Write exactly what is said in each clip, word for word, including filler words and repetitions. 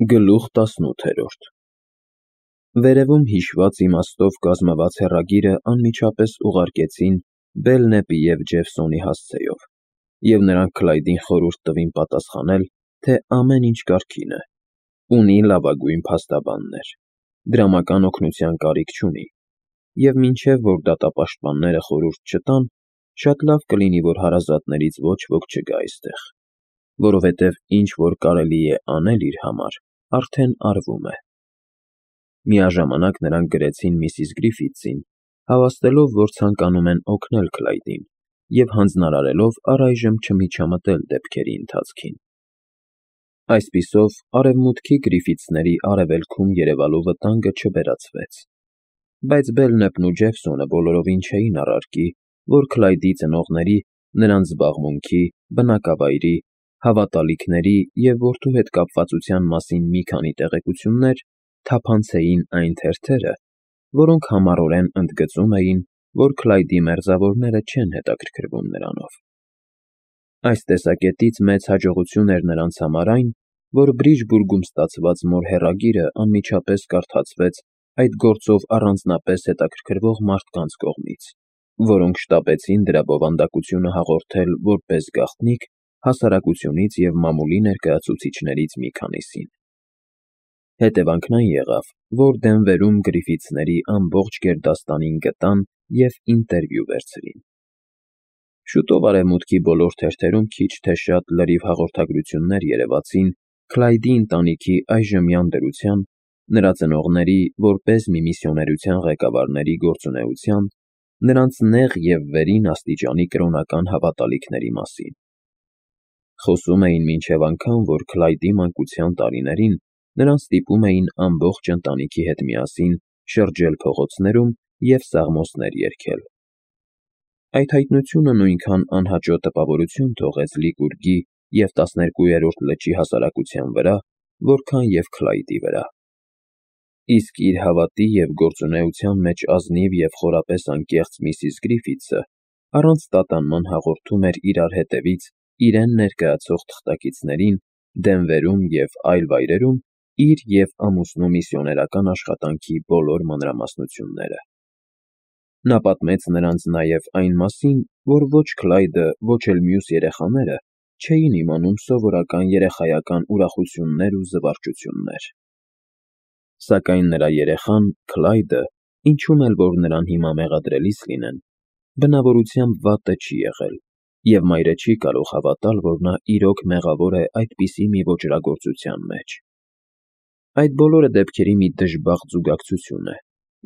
Գլուխ տասնութերորդ Վերևում հիշված իմաստով կազմված հեռագիրը անմիջապես ուղարկեցին Բելնեպի և Ջևսոնի հասցեով, և նրանք Քլայդին խորհուրդ տվին պատասխանել, թե ամեն ինչ կարգին է, ունի լավագույն փաստաբաններ, դրամական օգնության կարիք չունի, և մինչև որ դատապաշտպանները խորհուրդ չտան, շատ լավ կլինի, որ հարազատներից ոչ ոք չգա այստեղ, որովհետև ինչ որ կարելի է անել իր համար, արդեն արվում է։ Միաժամանակ նրանք գրեցին միսիս Գրիֆիթսին, հավաստելով, որ ցանկանում են օգնել Քլայդին, և հանձնարարելով առայժմ չմիջամտել դեպքերի ընթացքին։ Այսպիսով, արևմուտքի Գրիֆիթսների արևելքում երևալու վտանգը չվերացվեց, բայց Բելնեպն ու Ջևսոնը բոլորովին չէին առարկի, որ Քլայդի ծնողների, նրանց զբաղմունքի, բնակավայրի, հավատալիքների և որդու հետ կապվածության մասին մի քանի տեղեկություններ թափանցեին այն թերթերը, որոնք համառորեն ընդգծում էին, որ Քլայդի մերձավորները չեն հետաքրքրվում նրանով։ Այս տեսակետից մեծ հաջողություն էր նրանց համար այն, որ Բրիջբուրգում ստացված մոր հեռագիրը անմիջապես կարդացվեց այդ գործով առանձնապես հետաքրքրվող մարդկանց կողմից, որոնք շտապեցին դրա բովանդակությունը հաղորդել որպես գաղտնիք հասարակությունից և մամուլի ներկայացուցիչներից մի քանիսին։ Հետևանքն այն եղավ, որ Դենվերում Գրիֆիթսների ամբողջ գերդաստանին գտան և ինտերվյու վերցրին։ Շուտով արևմուտքի բոլոր թերթերում քիչ թե շատ լրիվ հաղորդագրություններ երևացին Քլայդի ընտանիքի այժմյան դրության, նրա ծնողների, որպես մի միսիոներության ղեկավարների գործունեության, նրանց նեղ և վերին աստիճանի կրոնական հավատալիքների մասին։ Խոսում էին մինչև անգամ, որ Քլայդի մանկության տարիներին նրան ստիպում էին ամբողջ ընտանիքի հետ միասին շրջել փողոցներում և սաղմոսներ երգել։ Այդ հայտնությունը նույնքան անհաճո տպավորություն թողեց Լիկուրգի և տասներկուերորդ լճի հասարակության վրա, որքան և Քլայդի վրա։ Իսկ իր հավատի և գործունեության մեջ ազնիվ և խորապես անկեղծ միսիս Գրիֆիթսը առանց տատանման հաղորդում էր իրար հետևից իրեն ներկայացող թղթակիցներին Դենվերում և այլ վայրերում իր և ամուսնու միսիոներական աշխատանքի բոլոր մանրամասնությունները։ Նա պատմեց նրանց նաև այն մասին, որ ոչ Քլայդը, ոչ էլ մյուս երեխաները չէին իմանում սովորական երեխայական ուրախություններ ու զվարճություններ։ Սակայն նրա երեխան՝ Քլայդը, ինչում էլ որ նրան հիմա մեղադրելիս լինեն, բնավորությամբ վատը չի եղել, և մայրը չի կարող հավատալ, որ նա իրոք մեղավոր է այդպիսի մի ոճրագործության մեջ։ Այդ բոլորը դեպքերի մի դժբախտ զուգակցություն է,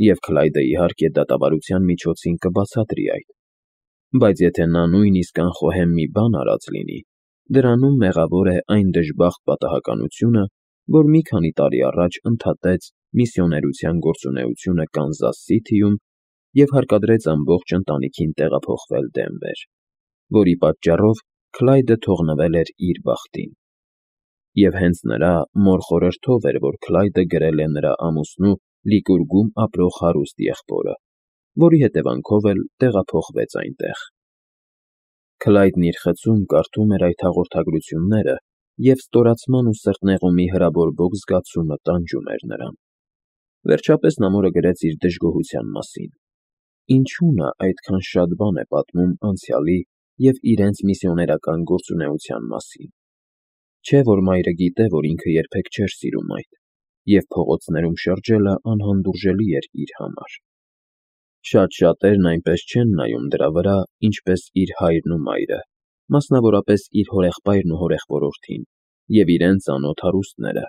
և Քլայդը, իհարկե, դատավարության միջոցին կբացատրի այդ, բայց եթե նա նույնիսկ անխոհեմ մի բան արած լինի, դրանում մեղավոր է այն դժբախտ պատահականությունը, որ մի քանի տարի առաջ ընդհատեց միսիոներության գործունեությունը Կանզաս Սիթիում և հարկադրեց ամբողջ ընտանիքին տեղափոխվել Դենվեր, որի պատճառով Քլայդը թողնվել էր իր բախտին։ Եվ հենց նրա մոր խորհրդով էր, որ Քլայդը գրել է նրա ամուսնու Լիկուրգում ապրող հարուստ եղբորը, որի հետևանքով էլ տեղափոխվեց այնտեղ։ Քլայդն իր խցում կարդում էր այդ հաղորդագրությունները, և ստորացման ու սրտնեղումի հրաբորբոք զգացումը տանջում էր նրան։ Վերջապես նա մորը գրեց իր դժգոհության մասին։ Ինչու նա այդքան շատ բան է պատմում անցյալի և իրենց միսիոներական գործունեության մասին։ Չէ՞ որ մայրը գիտե, որ ինքը երբեք չէր սիրում այդ, և փողոցներում շրջելը անհանդուրժելի էր իր համար։ Շատ շատերն այնպես չեն նայում դրա վրա, ինչպես իր հայրն ու մայրը, մասնավորապես իր հորեղբայրն ու հորեղբորորդին, և իրենց անոթ հարուստները,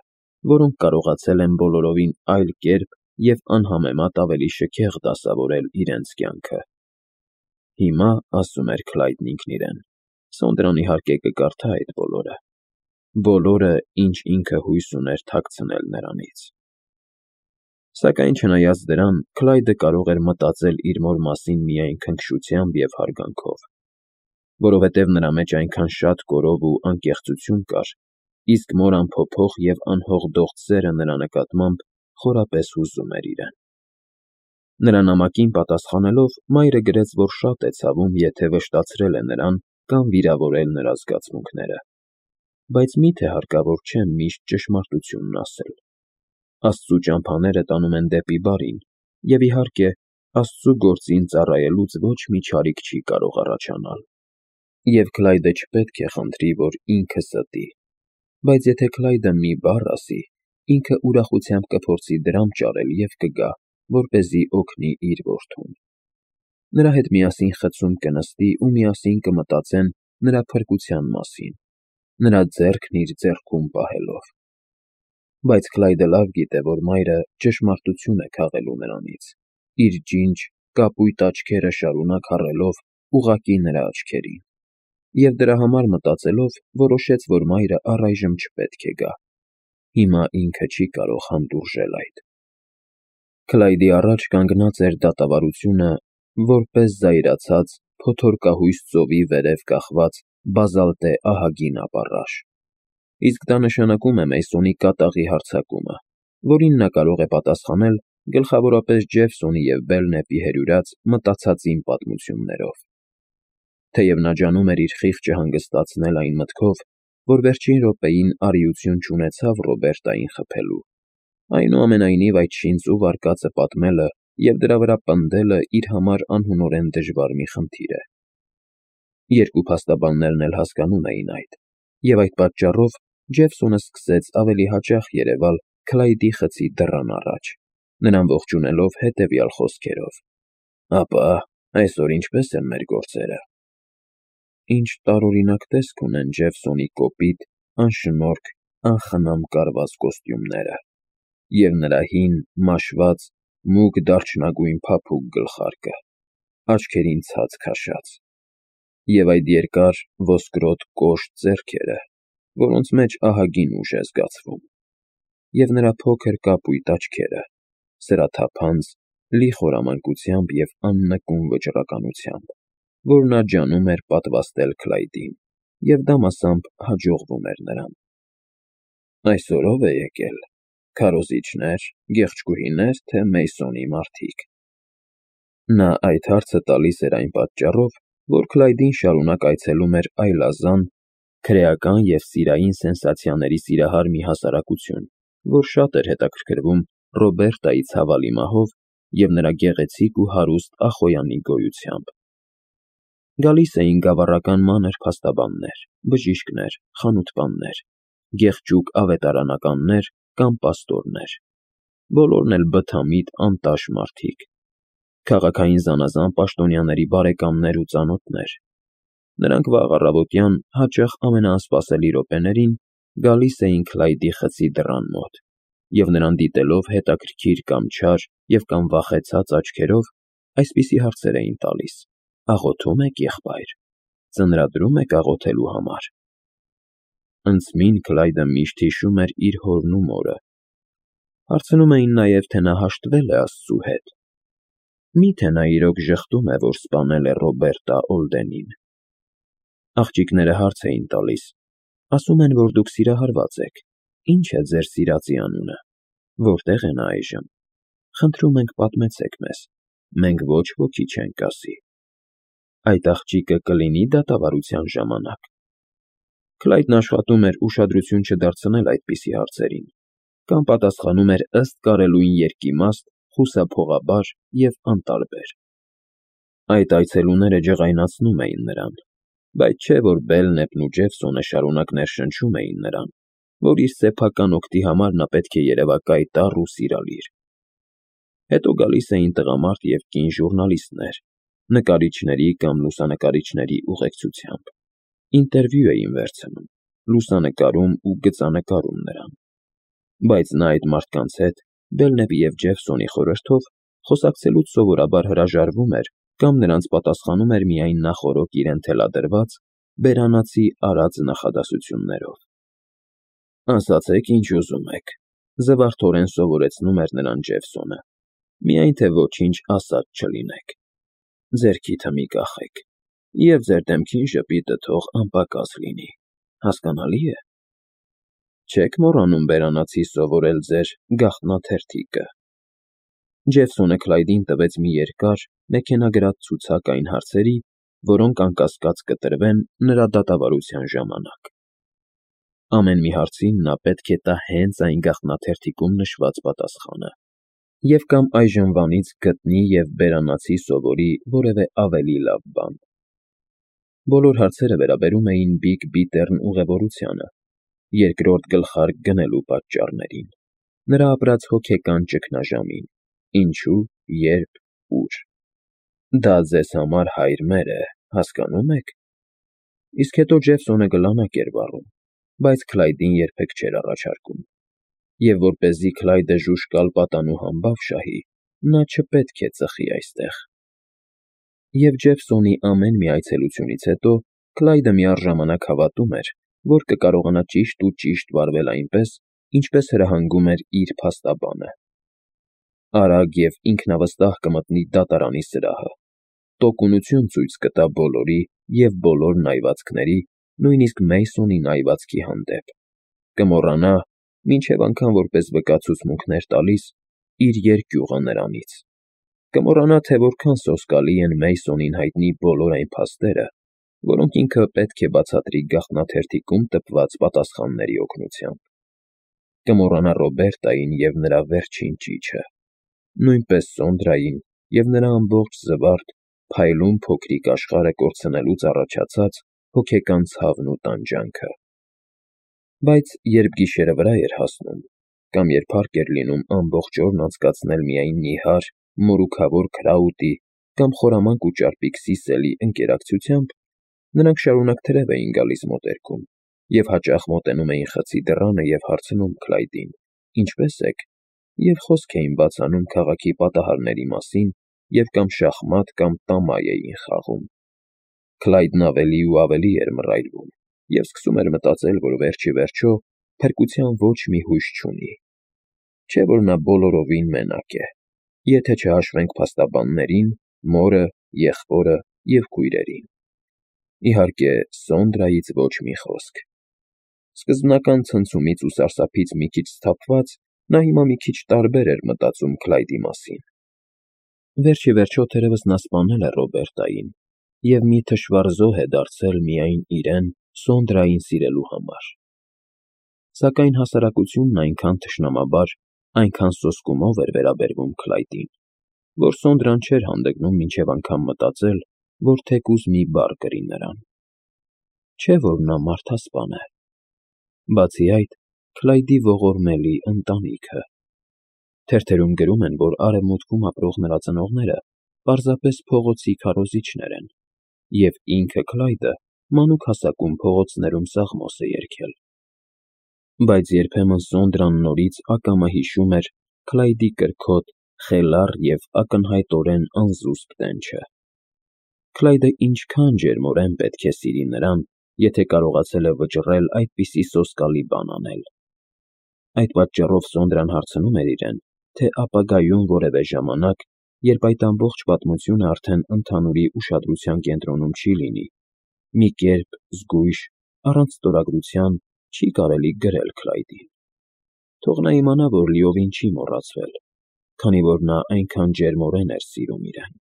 որոնք կարողացել են բոլորովին այլ կերպ և անհամեմատ ավելի շքեղ դասավորել իրենց կյանքը։ Հիմա, ասում էր Քլայդն ինքն իրեն, Սոնդրան իհարկե կկարդա այդ բոլորը, բոլորը, ինչ ինքը հույս ուներ թաքցնել նրանից։ Սակայն չնայած դրան, Քլայդը կարող էր մտածել իր մոր մասին միայն քնքշությամբ և հարգանքով, որովհետև նրա մեջ այնքան շատ կորով ու անկեղծություն կար, իսկ մոր անփոփոխ և անհողդոխտ սերը նրա նկատմամբ խորապես հուզում էր իրեն։ Նրա նամակին պատասխանելով, մայրը գրեց, որ շատ է ցավում, եթե վշտացրել է նրան կամ վիրավորել նրա զգացմունքները։ բայց միթե հարկավոր չէ միշտ ճշմարտությունն ասել։ Աստծու ճամփաները տանում են դեպի բարին, և իհարկե, Աստծու գործին ծառայելուց ոչ մի չարիք չի կարող առաջանալ։ Եվ Քլայդը չպետք է խնդրի, որ ինքը ստի, բայց եթե Քլայդը մի բառ ասի, ինքը ուրախությամբ կփորձի դրամ ճարել և կգա, որպեսզի օգնի իր որդուն։ Նրա հետ միասին խցում կնստի ու միասին կմտածեն նրա փրկության մասին, նրա ձեռքն իր ձեռքում պահելով։ Բայց Քլայդը լավ գիտե, որ մայրը ճշմարտություն է քաղելու նրանից, իր ջինջ, կապույտ աչքերը շարունակ հառելով ուղղակի նրա աչքերին, և դրա համար մտածելով, որոշեց, որ մայրը առայժմ չպետք է գա։ Հիմա ինքը չի կարող հանդուրժել այդ։ Քլայդի առաջ կանգնած էր դատավարությունը, որպես զայրացած, փոթորկահույս ծովի վերև կախված բազալտե ահագին ապառաշ։ Իսկ դա նշանակում է Մեյսոնի կատաղի հարձակումը, որին նա կարող է պատասխանել գլխավորապես Ջեֆսոնի և Բելնեպի հերյուրած մտածածին պատմություններով։ Թեև նա ջանում էր իր խիղճը հանգստացնել այն մտքով, որ վերջին րոպեին արիություն չունեցավ Ռոբերտային խփելու, այնուամենայնիվ այդ շինծ ու վարկածը պատմելը և դրա վրա պնդելը իր համար անհունորեն դժվար մի խնդիր է։ Երկու փաստաբաններն էլ հասկանում էին այդ, և այդ պատճառով Ջեֆսոնը սկսեց ավելի հաճախ երևալ Քլայդի խցի դռան առաջ, նրան ողջունելով հետևյալ խոսքերով. «Ապա, այսօր ինչպե՞ս են մեր գործերը»։ Ինչ տարօրինակ տեսք ունեն Ջեֆսոնի կոպիտ, անշնորհք, անխնամ կարված կոստյումները, և նրա հին, մաշված, մուգ դարչնագույն փափուկ գլխարկը, աչքերին ցած քաշած, և այդ երկար, ոսկրոտ կոշտ ձեռքերը, որոնց մեջ ահագին ուժ է զգացվում, և նրա փոքր կապույտ աչքերը, սրաթափանց, լի խորամանկությամբ և աննկուն վճռականությամբ, որ նա ջանում էր պատվաստել Քլայդին, և դա մասամբ հաջողվում էր նրան։ «Այսօր ո՞վ է եկել, քարոզիչնե՞ր, գեղեցկուհինե՞ր, թե Մեյսոնի մարդիկ»։ Նա այդ հարցը տալիս էր այն պատճառով, որ Քլայդին շարունակ այցելում էր այլազան, քրեական և սիրային սենսացիաների սիրահար մի հասարակություն, որ շատ էր հետաքրքրվում Ռոբերտայի ցավալի մահով և նրա գեղեցիկ ու հարուստ Ախոյանի գոյությամբ։ Գալիս էին գավառական մանր փաստաբաններ, բժիշկներ, խանութպաններ, գեղճուկ ավետարանականներ կամ պաստորներ, բոլորն էլ բթամիտ, անտաշ մարդիկ, քաղաքային զանազան պաշտոնյաների բարեկամներ ու ծանոթներ։ Նրանք վաղ առավոտյան, հաճախ ամենաանսպասելի րոպեներին, գալիս էին Քլայդի խցի դռան մոտ, և նրան դիտելով հետաքրքիր կամ չար և կամ վախեցած աչքերով, այսպիսի հարցեր էին տալիս. «Աղոթո՞ւմ եք, եղբայր, ծնրադրո՞ւմ եք աղոթելու համար»։ Ընդզմին Քլայդը միշտ հիշում էր իր հորն ու մորը։ Հարցնում էին նաև, թե նա հաշտվե՞լ է Աստծու հետ։ Մի՞թե նա իրոք ժխտում է, որ սպանել է Ռոբերտա Օլդենին։ Աղջիկները հարց էին տալիս. «Ասում են, որ դուք սիրահարված եք, ի՞նչ է ձեր սիրածի անունը, որտե՞ղ է նա այժմ։ Խնդրում ենք, պատմեցեք մեզ, մենք ոչ ոքի չենք ասի։ Այդ աղջիկը կլինի՞ դատավարության ժամանակ»։ Քլայդն աշխատում էր ուշադրություն չդարձնել այդպիսի հարցերին, կամ պատասխանում էր ըստ կարելույն երկիմաստ, խուսափողաբար և անտարբեր։ Այդ այցելուները ջղայնացնում էին նրան, բայց չէ որ Բելնեպն ու Ջեֆսոնը շարունակ ներշնչում էին նրան, որ իր սեփական օգտի համար նա պետք է երևա կայտառ ու սիրալիր։ Հետո գալիս էին տղամարդ և կին ժուռնալիստներ, նկարիչների կամ լուսանկարիչների ուղեկցությամբ, ինտերվյու էին վերցնում, լուսանկարում ու գծանկարում նրան։ Բայց նա այդ մարդկանց հետ, Բելնեպի և Ջեֆսոնի խորհրդով, խոսակցելուց սովորաբար հրաժարվում էր կամ նրանց պատասխանում էր միայն նախօրոք իրեն թելադրված, բերանացի արած նախադասություններով։ «Ասացեք, ինչ ուզում եք», զվարթորեն սովորեցնում էր նրան Ջեֆսոնը, «միայն թե ոչինչ ասած չլինեք։ Ձեռքիթը մի կախեք, և ձեր դեմքին ժպիտը թող անպակաս լինի, հասկանալի՞ է։ Չե՞ք մոռանում բերանացի սովորել ձեր գաղտնաթերթիկը»։ Ջեֆսոնը Քլայդին տվեց մի երկար, մեքենագրած ցուցակ այն հարցերի, որոնք անկասկած կտրվեն նրա դատավարության ժամանակ։ Ամեն մի հարցին նա պետք է տա հենց այն գաղտնաթերթիկում նշված պատասխանը, և կամ այժմվանից գտնի և բերանացի սովորի որևէ ավելի լավ բան։ Բոլոր հարցերը վերաբերում էին Բիգ Բիթեռն ուղևորությանը, երկրորդ գլխարկ գնելու պատճառներին, նրա ապրած հոգեկան ճգնաժամին, ինչու, երբ, ուր։ Դա ձեզ համար հայր մեր է, հասկանո՞ւմ եք։ Իսկ հետո Ջեֆսոնը գլանակ էր վառում, բայց Քլայդին երբեք չէր առաջարկում, և որպեսզի Քլայդը ժուժկալ պատանու համբավ շահի, նա չպետք է ծխի այստեղ։ Եվ Ջեֆսոնի ամեն մի այցելությունից հետո Քլայդը միառժամանակ հավատում էր, որ կկարողանա ճիշտ ու ճիշտ վարվել այնպես, ինչպես հրահանգում էր իր փաստաբանը։ Արագ և ինքնավստահ կմտնի դատարանի սրահը, տոկունություն ցույց կտա բոլորի և բոլոր նայվածքների, նույնիսկ Մեյսոնի նայվածքի հանդեպ, կմոռանա, մինչև անգամ որպես վկա ցուցմունքներ տալիս, իր երկյուղը նրանից, կմոռանա, թե որքան սոսկալի են Մեյսոնին հայտնի բոլոր այն փաստերը, որոնք ինքը պետք է բացատրի գաղտնաթերթիկում տպված պատասխանների օգնությամբ, կմոռանա Ռոբերտային և նրա վերջին ճիչը, նույնպես Սոնդրային և նրա ամբողջ զվարթ, փայլուն փոքրիկ աշխարհը կորցնելուց առաջացած հոգեկան ցավն ու տանջանքը։ Բայց երբ գիշերը վրա էր հասնում, կամ երբ հարկ էր լինում ամբողջ օրն անցկացնել միայն նիհար, մորուքավոր Քրաուտի կամ խորամանկ ու ճարպիկ Սիսելի ընկերակցությամբ, նրանք շարունակ թրև էին գալիս մոտերքում և հաճախ մոտենում էին խցի դռանը և հարցնում Քլայդին. «Ինչպե՞ս եք», և խոսք էին բաց անում քաղաքի պատահարների մասին և կամ շախմատ կամ տամայ էին խաղում։ Քլայդն ավելի ու ավելի էր մռայլվում և սկսում էր մտածել, որ վերջիվերջո փրկության ոչ մի հույս չունի, չէ՞ որ նա բոլորովին մենակ է, եթե չհաշվենք փաստաբաններին, մորը, եղբորը և քույրերին։ Իհարկե, Սոնդրայից ոչ մի խոսք։ Սկզբնական ցնցումից ու սարսափից մի քիչ սթափված, նա հիմա մի քիչ տարբեր էր մտածում Քլայդի մասին։ Վերջիվերջո, թերևս նա սպանել է Ռոբերտային և մի թշվառ զոհ է դարձել միայն իրեն Սոնդրային սիրելու համար։ Սակայն հասարակությունն այնքան թշնամաբար, այնքան սոսկումով էր վերաբերվում Քլայդին, որ Սոնդրան չէր հանդգնում մինչև անգամ մտածել, որ թեկուզ մի բառ կրի նրան։ Չէ՞ որ նա մարդասպան է։ Բացի այդ, Քլայդի ողորմելի ընտանիքը։ Թերթերում գրում են, որ Արևմուտքում ապրող նրա ծնողները պարզապես փողոցի քարոզիչներ են, և ինքը Քլայդը մանուկ հասակում փողոցներում սաղմոս է երգել։ Բայց երբեմն Սոնդրան նորից ակամա հիշում էր Քլայդի կրքոտ, խելառ և ակնհայտորեն անզուսպ տենչը։ Քլայդը ինչքան ջերմորեն պետք է սիրի նրան, եթե կարողացել է վճռել այդպիսի սոսկալի բան անել։ Այդ պատճառով Սոնդրան հարցնում էր իրեն, թե ապագայում որևէ ժամանակ, երբ այդ ամբողջ պատմությունը արդեն ընդհանուրի ուշադրության կենտրոնում չի լինի, մի կերպ զգույշ, առանց ստորագրության չի կարելի գրել Քլայդին։ Թող նա իմանա, որ լիովին չի մոռացվել, քանի որ նա այնքան ջերմորեն էր սիրում իրեն։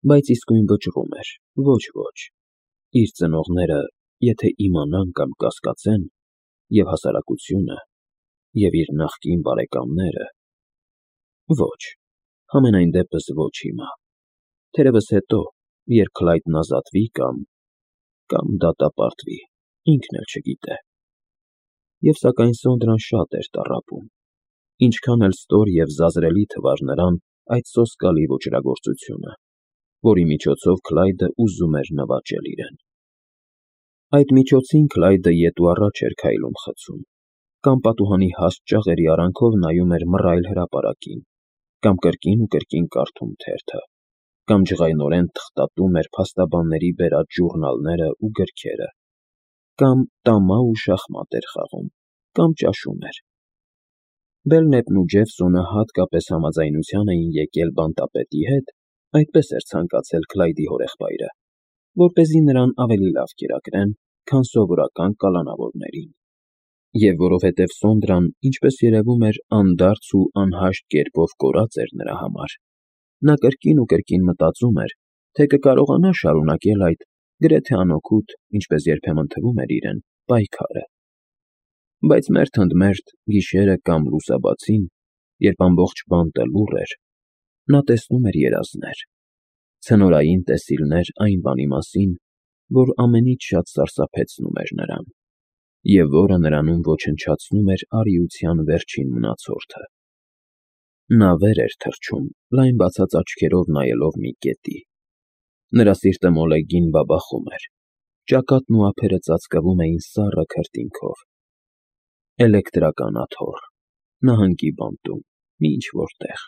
Բայց իսկույն վճռում էր. ոչ, ոչ, իր ծնողները եթե իմանան կամ կասկածեն, և հասարակությունը, և իր նախկին բարեկամները… Ոչ, համենայն դեպս ոչ հիմա, թերևս հետո, երբ Քլայդն ազատվի կամ… կամ դատապարտվի, ինքն էլ չգիտե։ Եվ սակայն Սոնդրան շատ էր տառապում, ինչքան էլ ստոր և զազրելի թվար նրան այդ սոսկալի ոճրագործությունը, որի միջոցով Քլայդը ուզում էր նվաճել իրեն։ Այդ միջոցին Քլայդը ետ ու առաջ էր քայլում խցում, կամ պատուհանի հաստ ճաղերի արանքով նայում էր մռայլ հրապարակին, կամ կրկին ու կրկին կարդում թերթը, կամ ջղայնորեն թղթատում էր փաստաբանների բերած ժուռնալները ու գրքերը, կամ տամա ու շախմատ էր խաղում, կամ ճաշում էր։ Բելնեպն ու Ջեֆսոնը հատկապես համաձայնության էին եկել բանտապետի հետ, այդպես էր ցանկացել Քլայդի հորեղբայրը, որպեսզի նրան ավելի լավ կերակրեն, քան սովորական կալանավորներին։ Եվ որովհետև Սոնդրան, ինչպես երևում էր, անդարձ ու անհաշտ կերպով կորած էր նրա համար, նա կրկին ու կրկին մտածում էր, թե կկարողանա շարունակել այդ, գրեթե անօգուտ, ինչպես երբեմն թվում էր իրեն, պայքարը, Բայց մերթ ընդ մերթ, գիշերը կամ լուսաբացին, երբ ամբողջ բանտը լուռ էր, նա տեսնում էր երազներ, ցնորային տեսիլներ այն բանի մասին, որ ամենից շատ սարսափեցնում էր նրան, և որը նրանում ոչնչացնում էր արիության վերջին մնացորդը։ Նա վեր էր թռչում, լայն բացած աչքերով նայելով մի կետի։ Նրա սիրտը մոլեգին բաբախում էր, ճակատն ու ափերը ծածկվում էին սառը քրտինքով։ Էլեկտրական աթոռ, նահանգի բանտում, մի ինչ֊որ տեղ։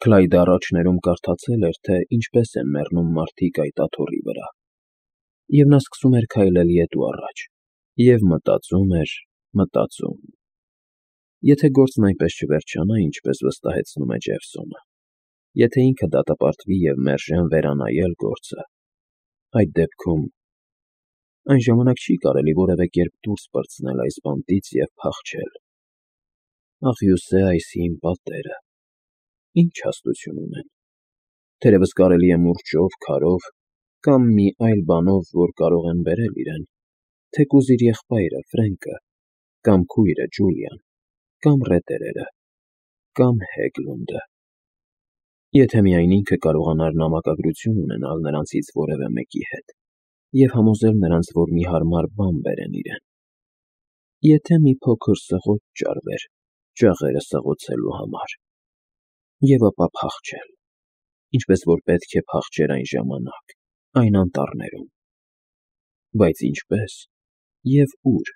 Քլայդը առաջներում կարդացել էր, թե ինչպես են մեռնում մարդիկ այդ աթոռի վրա, և նա սկսում էր քայլել ետ ու առաջ, և մտածում էր, մտածում. եթե գործն այնպես չվերջանա, ինչպես վստահեցնում է Ջեֆսոնը, եթե ինքը դատապարտվի և մերժեն վերանայել գործը, այդ դեպքում… Այն ժամանակ չի կարելի որևէ կերպ դուրս պրծնել այս բանտից և փախչել։ Աղյուսե այս հին պատերը… Ինչ հաստություն ունեն… Թերևս կարելի է մուրճով, քարով կամ մի այլ բանով, որ կարող են բերել իրեն, թեկուզ իր եղբայրը Ֆրենկը, կամ քույրը Ջուլիան, կամ ռետերերը, կամ Հեգլունդը… Եթե միայն ինքը կարողանար նամակագրություն ունենալ նրանցից որևէ մեկի հետ և համոզել նրանց, որ մի հարմար բան բերեն իրեն… Եթե մի փոքր սղոճ ճարվեր ճաղերը սղոցելու համար… Եվ ապա փախչել, ինչպես որ պետք է փախչեր այն ժամանակ, այն անտառներում… Բայց ինչպե՞ս և ու՞ր։